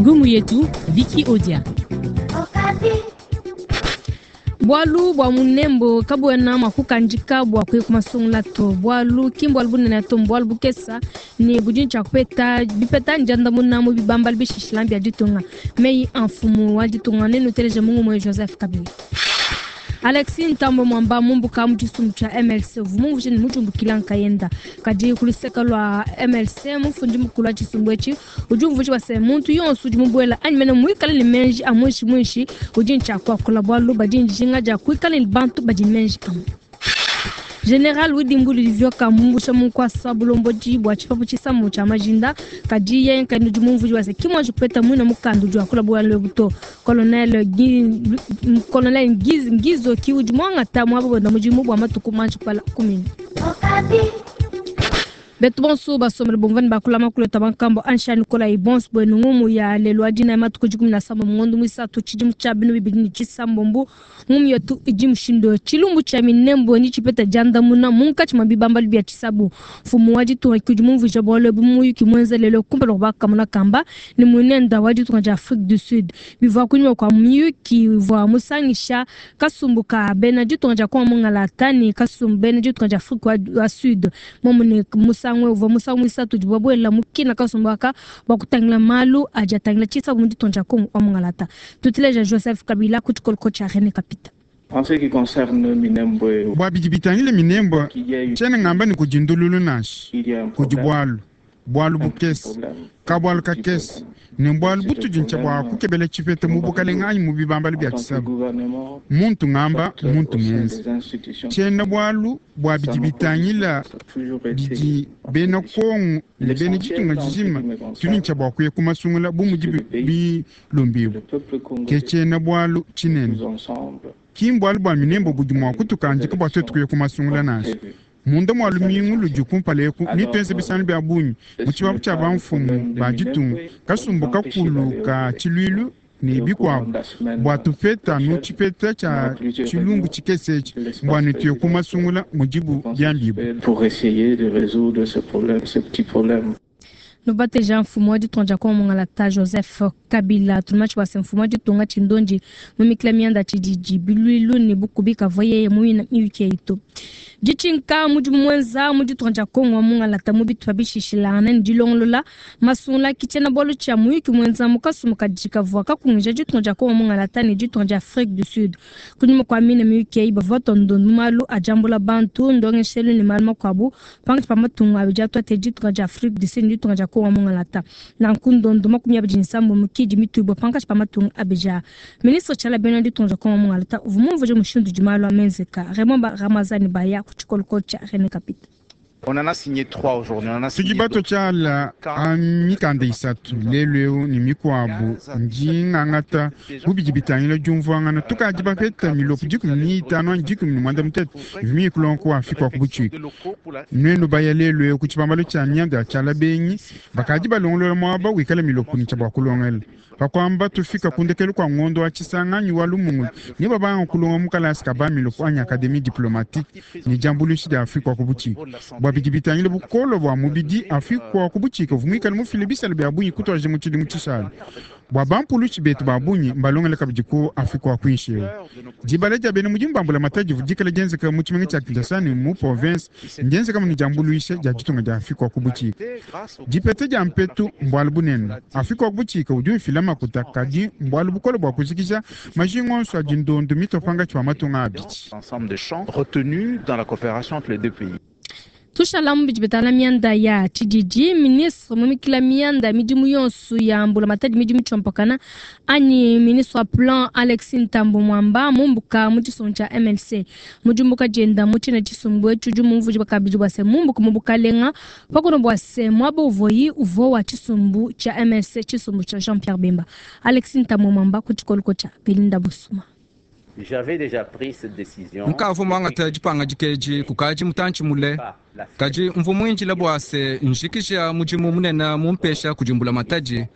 Ngumu yetu Vicky Odia. Bualu bua munembo kabuena mua kukandika bua kuya ku masungula to, bualu ki mbualu bunene to, mbualu bukesa ne budi tshia kupeta bipeta ndiandamuna mu bibambalu bishishila bia ditunga. Meyi a mfumu wa ditunga nenuteleje mu ngumu ya Joseph Kabila. Alexis Ntambwe Mwamba mumbuka mu tshisumbu tshia MLC uvua mumvuije ne mudiumbukila nkayenda, kadi ku luseke lua MLC mufundi mukulu wa tshisumbu etshi udi umvuija bua se muntu yonso udi mubuela anyi mene muikale ne meji a muinshi muinshi udi ne tshia kuakula, bualu badi ne dijinga dia kuikala ne bantu badi ne meji amue. General Willy Ngulu Livioka mumbusha mu nkuasa bulombodi bua tshipapu tshisamu tshia majinda, kadi yeye nkayende udi mumvuije bua se ki muanji kupeta muina mukanda udi wakula bualu ebu to. Colonel Colonel Ngizo ki udi muangata muaba wenda mudimu bua matuku manji kubala kumina. Betu bonso basombele bumva ne bakula makulu etu a bankambo ansha nikolayi bonso buenu ngumu ya lelu wa dina matuku 17 mu ngondo muisatu tshidimu tshia 2026. Ngumu yetu idi mushindu tshilumbu tshia minembo ni tshipeta diandamuna munkatshi mua bibambalu bia tshisabu. Mfumu wa ditunga ki udi mumvuija bualu ebu mu muyuki muenza lelu kumpala kua bakamona kamba ne muinenda wa ditunga dia Afrique du Sud. Bivua kunyima kua muyuki uvua musangisha kasumbu ka bena ditunga dia Kongo mungalata ne kasumbu bena ditunga dia Afrique wa Sud. Momu ne musangu uvua musangu muisatu udibu babuela mu kina kasumbu aka bua kutangila malu adi atangila tshisabu mu ditunga dia Kongo wa mungalata. Tutileja Joseph Kabila ku tshikoloko tshia Rene Kapita. En ce qui concerne Minembwe, bua bidi bitangila Minembwe, qu'il y a eu, tshiena ngamba ne kudi ndululu nansha, il y a un kudi problème, bualu bualu un petit bukese problème, kabualu un petit kakese problème. ne mbualu C'est un butudi ntshia bua problème kukebela tshipeta mu bukalenga anyi mu bibambalu en bia tant que tshisabu. gouvernement, Muntu ngamba soit muntu au sein muenza des institutions. tshiena bualu bua Ça bidi m'a bitangila ça a toujours été bidi en bena position. Kongo ne bena L'essentiel ditunga en ce qui dijima me tudi concerne, ntshia bua kuya ku masungula bu mudi c'est le pays, bilombibu le peuple ke congolais, tshiena bualu tshinene. tous ensemble, Ki mbualu bua minembo budi mua kutukandika bua tuetu kuya ku masungula comme nansha. prévu. Munda mua C'est ça lumingu ludi l'essentiel. kumpala eku Alors, nituenze bisangilu bia bungi mu ce tshibabu n'est tshia pas le bamfumu problème de ba ditunga Minembwe, on kasumbu peut empêcher kakulu d'aller aux ka élections. tshiluilu ne Et au courant bikuabu de la semaine bua tupeta nu prochaine, tshipeta on aura tshia plusieurs tshilumbu réunions tshikese etshi de l'espace mbua ne tuye ku présidentiel. masungula Je mudibu pense que biambibu. c'est pour essayer de résoudre ce problème, ce petit problème. Nubateja mfumu wa ditunga dia Kongo mungalata Joseph Kabila tumatshi bua se mfumu wa ditunga tshindondi mumikila mianda tshididi biluilu ne bukubi kavua yeye muina miyuki eyi to. Ditshinka mudimu muenza mu ditunga dia Kongo wa mungalata mu bitupa bishishilangana ne dilongolola masungula ki tshiena bualu tshia muyuki muenza mu kasumbu kadi kavua kakungija ditunga dia Kongo mungalata ne ditunga dia Afrique du Sud. Kunyima kua mine miyuki eyi bavua batonda malu a diambula bantu ndongeshelu ne malu makuabu pankatshi pa matunga abidi atuate ditunga dia Afrique du Sud ne ditunga dia Kongo mungalata. Nanku ndondo 27 mukidi mitubwa pankatshi pa matunga abidi aa. Ministre Tshiala bena ditunga dia Kongo mungalata uvua mumvuije mushindu udi malu amenzeka. Raymond Ramazani Baya ku tshikoloko tshia Rene Kapita. On en a signé trois aujourd'hui. On en a Tudi signé bato d'autres. tshiala a mikanda isatu lelu eu ne mikuabu ndi ngangata bu bidi bitangila diumvuangana tukadi bapeta milopo 15 anyi 13 ivimi kulongo wa Afrika wa ku butshika. Nuenu baya lelu eu ku tshibambalu tshia mianda ya tshiala benyi bakadi balongolola muaba wikala milopo ne tshia bua kulongela. Pakuamba tufika kundekelu kua ngondo wa tshisanga anyi wa lumungulu ne babanga kulonga mu kalasi ka ba milopo anyi académie diplomatique ne diambuluishi dia Afrika wa ku butshika. Bua bidi bitangila bukolo bua mubidi Afrika wa ku butshika uvua muikale mufile bisala bia bungi kutuadija mu tshidimu tshishala. Bua bampulushi betu ba bungi mbalongela kabidi ku Afrika wa kuinshi eu. Dibala dia bena mudimu ba mbulamatadi divua dikala dienzeka mu tshimenga tshia Kinshasa ne mu province ndienzeka mu ne diambuluisha dia ditunga dia Afrika wa ku butshika. Dipeta dia mpetu mbualu bunene. Afrika wa ku butshika udi ufila makuta kadi mbualu bukole bua kujikija majinga onso adi ndondo mitua pankatshi pa matunga abidi. Ensemble de champs retenus dans la coopération entre les deux pays. Tushalamu bidi bitala mianda ya tshididi ministre mumikila mianda ya midimu yonso ya mbulamatadi midimu tshompakana anyi ministre wa plan Alexis Ntambwe Mwamba mumbuka mu tshisumbu tshia MLC mudimbuka dienda mu tshina tshisumbu etshi udi mumvuije bakabidi bua se mumbuka mu bukalenga pakuno bua se muaba uvoyi uvua wa tshisumbu tshia MLC tshisumbu tshia Jean Pierre Bemba. Alexis Ntambwe Mwamba ku tshikoloko tshia Belinda Busuma. Nkavua muangata dipangadika edi kukadi mutantshi mule, kadi mvua muindila bua se njikija mudimu munene mumpesha kudi mbulamatadi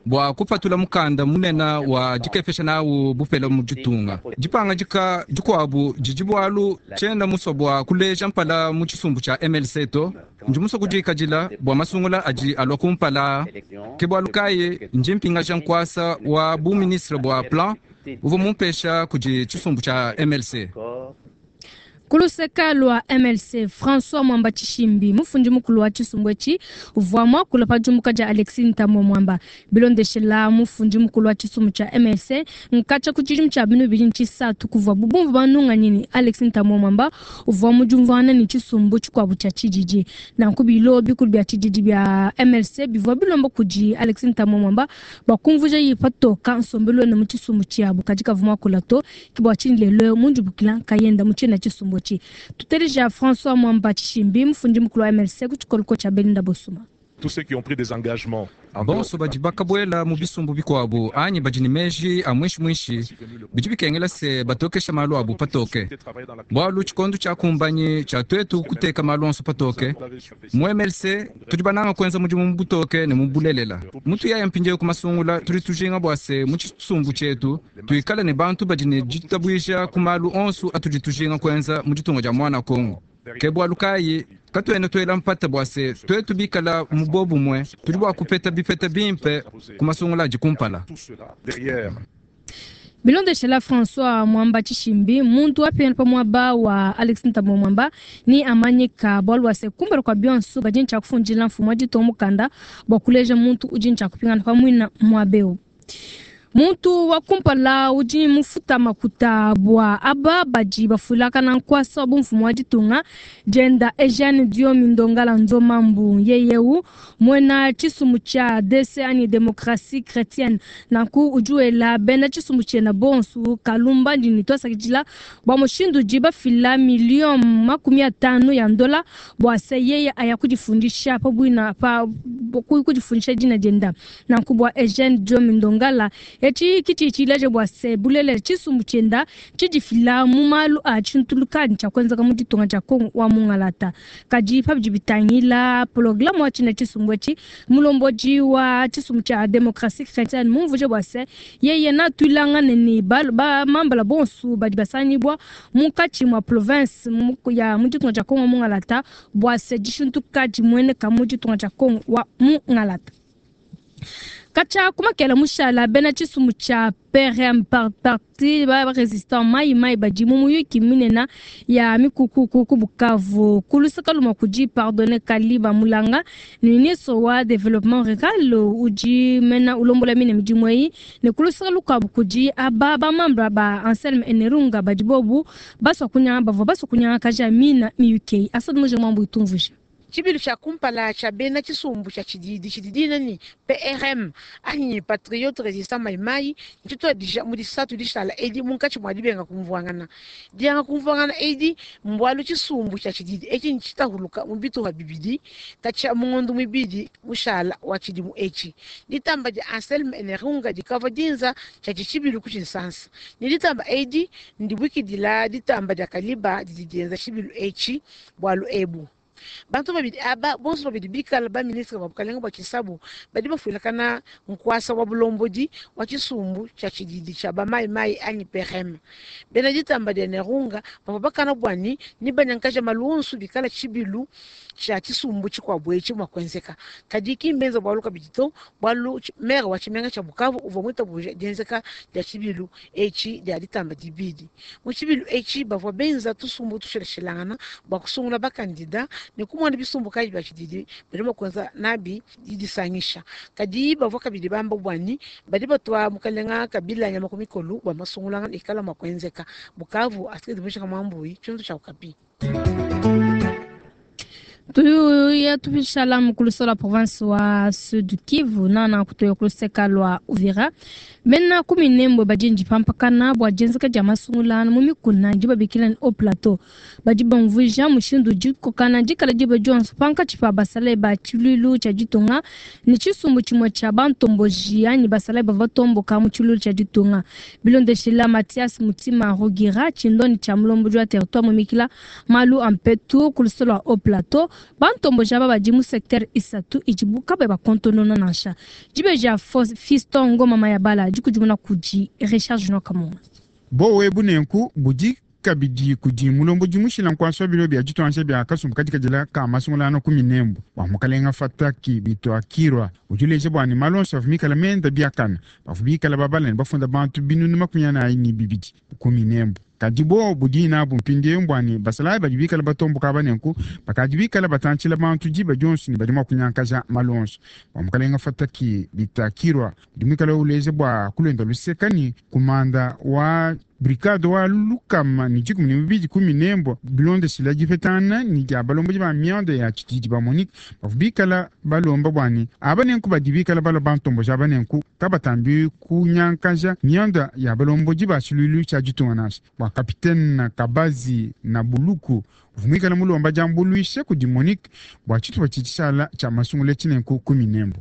bua kupatula mukanda munene wa dikepesha nawu bupele mu ditunga. Dipangadika dikuabu didi bualu tshiena musue bua kuleja mpala mu tshisumbu tshia MLC to, ndi musue kudikadila bua masungula adi alua kumpala. Ke bualu kayi ndi mpingaja nkuasa wa bu ministre bua plan uvua mumpesha kudi tshisumbu tshia MLC. Ku luseka lua MLC, François Mwamba Tshishimbi, mufundi mukulu wa tshisumbu etshi, uvua muakula pa diumbuka dia Alexis Ntambwe Mwamba. Bilondeshela mufundi mukulu wa tshisumbu tshia MLC, nkatshia ku tshidimu tshia binu bibidi ne tshisatu kuvuabu bumvua banunganyi ne Alexis Ntambwe Mwamba uvua mu diumvuangana ne tshisumbu tshikuabu tshia tshididi. Nanku bilo bikulu bia tshididi bia MLC bivua bilomba kudi Alexis Ntambwe Mwamba bua kumvuija patoka nsombelu wende mu tshisumbu tshiabu, kadi kavua muakula to. Ke bua tshinyi lelu mundibukila nkayenda mu tshiena tshisumbu etshi. Tuteleja François Mwamba Tshishimbi, mufundi mukulu wa MLC ku tshikoloko tshia Belinda Bosuma. Tous ceux qui ont pris des engagements Bonso badi bakabuela mu bisumbu bikuabu anyi badi ne meji a muinshi bidi bikengela se batokesha malu abu patoke, bualu tshikondo tshiakumbanyi tshia tuetu kuteka malu onso patoke. Mu MLC tudi bananga kuenza mudimu mu butoke ne mu bulelela. Mutu yaya mpindieu ku masungula, tudi tujinga bua se mu tshisumbu tshietu tuikale ne bantu badi ne ditabuija ku malu onso atudi tujinga kuenza mu ditunga dia mwana Kongo. Ke bualu kayi katuena tuela mpata bua se tuetu bikala mu bobumue tudi bua kupeta bipeta bimpe ku masungula adi kumpala. Bilondeshela François Mwamba Tshishimbi, muntu wapingana pa muaba wa Alexis Ntambwe Mwamba ni amanyika bualu bua se kumpala kua bionso badi ntshia kufundila mfumu wa ditunga mukanda bua kuleja muntu udi ntshia kupingana pa muina muaba eu. Muntu wa kumpala udi mufuta makuta bua aba badi bafulakana nkuasa wa bumfumu wa ditunga dienda Eugene Diomi Ndongala Nzomambu yeyeu muena tshisumbu tshia DC anyi Démocratie Chrétienne. Nanku udi wela bena tshisumbu tshiena bonso kalumba ndini twasakidila bua mushindu udi bafila milioni 50 ya ndola bua se yeye aya kudifundisha pa buina pa kudifundisha dina dienda. Nanku bua Eugene Diomi Ndongala etshi kitshi tshileje bua se bulele tshisumbu tshienda tshidifila mu malu a tshintulukani tshia kuenzeka mu ditunga dia Kongo wa mungalata. Kadi pa bidi bitangila programme wa tshina tshisumbu etshi, mulombodi wa tshisumbu tshia Démocratie Chrétienne mumvuje bua se yeye natuilangane ne ba mambala bonso badi basangibwa munkatshi mua province ya mu ditunga dia Kongo wa mungalata bua se dishintuka dimueneka mu ditunga dia Kongo wa mungalata. Katshia kumakela mushala bena tshisumbu tshia PRM parti ba résistant mai mai badi mu muyuki minene ya mikukuku ku Bukavu. Ku luseka lumue kudi Pardonne Kaliba Mulanga, ministre wa développement rural udi mena ulombola mine midimu eyi, ne ku luseka lukuabu kudi aba ba membre ba Anselme Enerunga badi bobu basua kunyanga bavua basua kunyangakaja mina miyuki eyi. Asad Muje Mwambu itumvuja. Tshibilu tshia kumpala tshia bena tshisumbu tshia tshididi tshidi ni PRM anyi Patriote Resistant Maimai ntshituadija mu disatu dishala edi munkatshi mua dibenga kumvuangana. Dianga kumvuangana edi mbualu tshisumbu tshia tshididi etshi ntshitahuluka mu bitupa bibidi katshia mu ngondo mibidi mushala wa tshidimu etshi. Ditamba dia Anselme Enerunga dikavua dinza tshia tshibilu ku tshinsansa. Ne ditamba edi ndibuikidila ditamba dia Kaliba didi dienza tshibilu etshi bualu ebu. Bantu babidi aba bonso babidi bikala ba ministre ba bukalenga bua tshisabu badi bafuilakana nkuasa wa bulombodi wa tshisumbu tshia tshididi tshia ba mai mai anyi PRM. Bena ditamba dia Nerunga bavua bakana buani ni banyankaja malunsu bikala tshibilu tshia tshisumbu tshikuabu etshi mua kuenzeka. Kadi ki mbenza bualu kabidi to, bualu maire wa tshimenga tshia Bukavu uvua muitabuja dienzeka dia tshibilu etshi dia ditamba dibidi. Mu tshibilu etshi bavua benza tusumbu tushilashilangana bua kusungula bakandida ne kumona bisumbu kayi bia tshididi badi mua kuenza nabi didisangisha. Kadi bavua kabidi bamba buani badi batua mukalenga Kabila nyama ku mikolu bua masungulangana ikala mua kuenzeka. Bukavu Astrid Mujika Mwambui, tshintu tshia Okapi. Tuya tupishala mukuluso la province wa Sud Kivu nana kutoya kuluseka lwa Uvira bena kuminembwe badi pampakana bua dienzeka dia masungula mu mikuna ndi babikila ni au plateau badi bamvuija mushindu dikokana dikala diba dionso pankatshi pa basalayi ba tshiluilu tshia ditunga ne tshisumbu tshimue tshia bantomboji anyi basalayi bavua batomboka mu tshiluilu tshia ditunga. Bilondeshila Mathias Mutima Rugira tshindoni tshia mulombodi wa territoire mumikila malu a mpetu ku luseke lua au plateau, bantomboji aba badi mu secteur isatu idibu kabayi bakontonona nansha. Dibeji Fiston Ngoma Mayabala dikudimuna kudi Richard Junior Kamunga. Bowe bunenku budi kabidi kudi mulombodi mushila nkuasa wa bilo bia dituansha bia kasumbu kadikadila ka masungulano ku minembo bua mukalenga Fataki Bituakirwa udi uleja bua ne malu onso avua mikala menda biakana bavua bikala babala ne bafunda bantu binunu 42 ku minembo. Kadi bo budi nabu mpindieu mbua ne basalayi badi bikala batomboka aba nenku bakadi bikala batantshila bantu diba dionso ne badi mua kunyankaja malu onso. Bua mukalenga Fataki Bitakirwa udi muikala uleja bua kulenda luseka ne kumanda wa brigade wa lukama ne 12 ku minembo bilondeshila dipetana ne dia balombodi ba mianda ya tshididi ba Monique bavua bikala balomba bua ne aba nenku badi bikala balua bantomboji aba nenku kabatambi kunyankaja mianda ya balombodi ba tshiluilu tshia ditunga nansha. Bua kapitene Kabazi na Buluku uvua muikala mulomba diambuluisha kudi Monique bua tshitupa tshitshishala tshia masungula tshinenku ku minembo.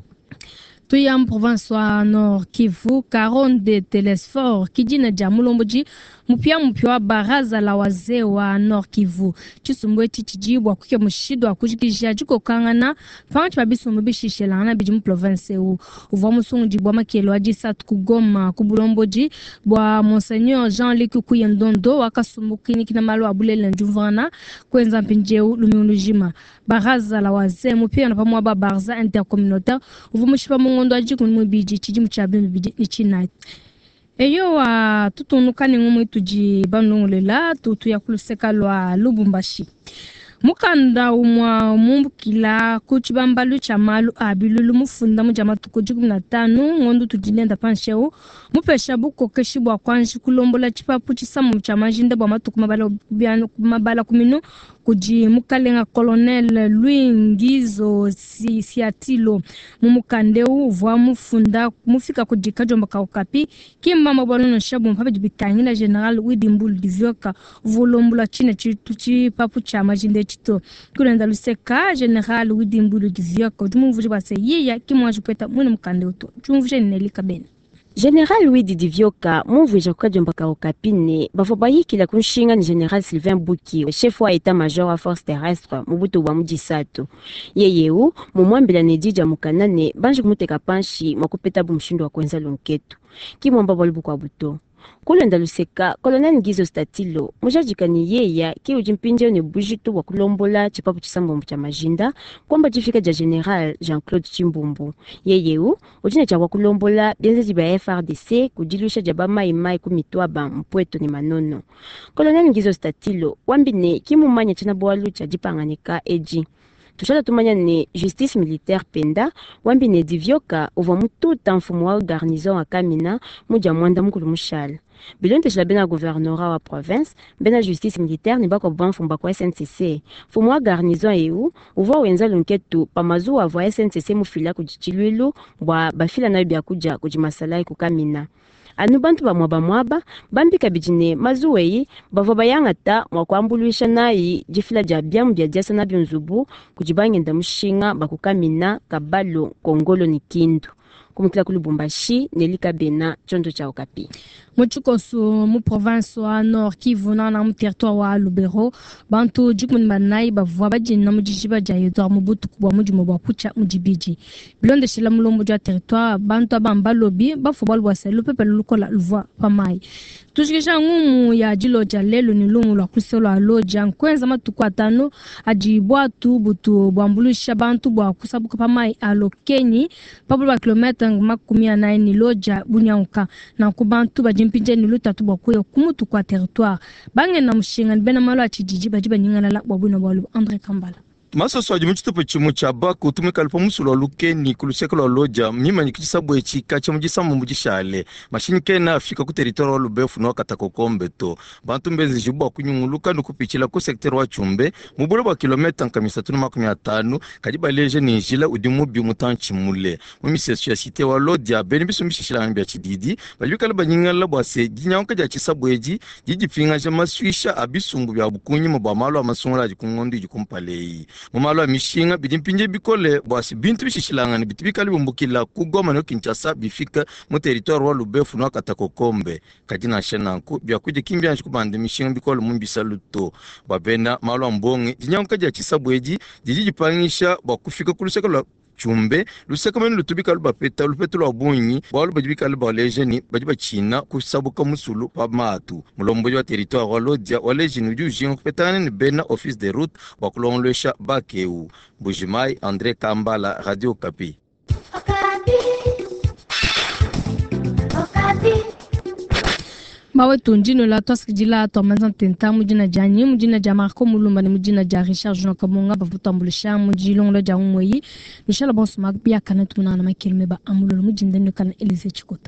Tuya mu province wa Nord Kivu, Karonde Telesfor kidina dia mulombodi mupia mupia wa baraza la wazee wa Nord Kivu. Tshisumbu etshi tshidi bua kuke mushindu wa kujikija dikokangana pankatshi pa bisumbu bishishelangana bidi mu province eu. Uvua musungudi bua makelo a disatu ku Goma ku bulombodi bua Monseigneur Jean-Luc Kuyendondo wakasumbu kinikina malu a bulelela ne diumvuangana kuenza mpindieu lumingu lujima. Baraza la wazee mupia na pamuaba baraza intercommunautaire uvua mushipa mu ngondo wa 12 tshidimu tshia 2024. Eyo wa tutunuka ne ngumwe tudi banongolela tutu ya kuluseka lwa Lubumbashi. Mukanda umwa mumbukila ku tshibambalu tshia malu a bilulu mufunda mu dia matuku 15 ngondo tudi nenda panshi eu mupesha bukokeshi bua kuanji kulombola tshipapu tshisamu tshia majinda bua matuku mabala kuminu kudi mukalenga colonel Louis Ngizo Siatilo. Mu mukanda eu uvua mufunda mufika kudi Kadiomba ka Okapi kimbamba bua nonosha bumpa bidi bitangila general Widimbulu Divyoka uvua ulombola tshine tshipapu tshia majinda etshi to. Kulenda luseka general Widimbulu Divyoka udi mumvuije bua se yiya kimwanji kupeta mwene mukanda eu to. Tshiumvuije ne Nelly Kabena. General Widi Divyoka mumvuija ku Kadiomba ka Okapi ne bavua bayikila ku nshinga ne General Sylvain Buki chef wa état-major wa force terrestre mu butu bua mu disatu. Yeyeu mumuambila ne didi dia mukana ne banji kumuteka panshi mua kupeta bu mushindu wa kuenza lunketu. Kimwamba bualu bukuabu to. Kulonda luseka colonel Ngizo Statilo mujadika ne yeya ke udi mpindieu ne bujitu bua kulombola tshipapu tshisambombo tshia majinda kuamba difika dia general Jean-Claude Tshimbumbu. Yeyeu udi ne tshia bua kulombola bienzedi bia FRDC ku diluisha dia bamaimai ku mitwaba mpweto ne manono. Colonel Ngizo Statilo wambi ne kimumanya tshina bualu tshia dipanganika edi. Tushala tumanya ne justice militaire penda wambi ne divyoka uvua mututa mfumu wa garnison wa Kamina mu dia mwanda mukulu mushala. Bilondeshila bena gouvernorat wa province bena justice militaire ne bakuabu bamfumu ba ku SNCC. Mfumu wa garnison eu uvua wenza lunketu pa mazuwa avua SNCC mufila kudi tshiluilu bua bafila nayo biakudia kudi masalayi ku Kamina. Anu bantu ba muaba muaba bambi kabidi ne mazuwa eyi bavua bayangata mua kuambuluisha nayi difila dia biamu bia diasa nabio nzubu kudi bangenda mushinga ba ku Kamina, Kabalo, Kongolo ne Kindu. Kumukila ku Lubumbashi, Nelly Kabena, tshiondo tshia Okapi. Mu tshikoso mu province wa Nord Kivu nana mu territoire wa Lubero bantu 14 bavua badina mu dijiba dia Edouard mu butuku bua mudimu bua kutshia mu dibidi. Bilondeshila mulombodi wa territoire bantu aba mbalobi bafua bualu bua se lupepele lukola luvua pa mayi. Tujikija ngumu ya dilodia lelu ne lumu lua kuselo lua lodia nkuenza matuku atanu adi bwatu butu buambuluisha bantu bua kusabuka pa mayi a Lokenyi pa bula kilomètre 40 ne lodia bunyanguka. Nanku bantu badi mpindieu ne lutatu bua kuya ku mutu kua territoire bangenda mushinga ne bena malu a tshididi badi banyingalala bua buina bualu. Andre Kambala. Masoso adi mu tshitupa tshimue tshia Baku tumikale pa musulu wa Lukeni ku luseke lua Lodja mimanyike tshisabu etshi katshia mu disambombo dishale. Mashinyi kena afika ku territoire wa Lubefu ne wa Katakokombe to. Bantu mbenzejibue bua kunyunguluka ne kupitshila ku secteur wa Tshumbe mu bule bua kilometa 350, kadi baleja ne njila udi mubi mutantshi mule. Mu misesu ya cite wa Lodja, bena bisumbu bishilangane bia tshididi badi bikale banyingalala bua se dinyanguka dia tshisabu edi didi dipingaja masuisha a bisumbu biabu kunyima bua malu a masungula adi ku ngondo idi kumpala eyi. Mu malu a mishinga, bidi mpindieu bikole bua se bintu bishishilangane bitu bikale biumbukila ku Goma ne Kinshasa bifika mu territoire wa Lubefu ne wa Katakokombe. Kadi nansha nanku, biakudia ki mbianji kubanda mishinga bikole mu bisalu to. Bua bena malu a mbonge, dinyanguka dia tshisabu edi didi dipangisha bua kufika ku luseke lua Tshumbe, luseke mene lutu bikale bapeta lupetu lua bungi, bualu badi bikale baleja ne badi batshina kusabuka musulu pa matu. Mulombodi wa territoire wa Lodja waleji ne udi ujinga kupetangana ne bena office de route bua kulongoluesha bac eu. Mbuji-Mayi, Andre Kambala, Radio Okapi. Mawetu ndinola tuasakidila tuamanza ntenta mu dina dianyi mu dina dia Marco Mulumba ne mu dina dia Richard Junior Kabonga bavua tuambuluisha mu dilongolola dia umweyi nushala bonso biakane tumunangana makeleme ba amulolo mu dinda kana Elise Chikota.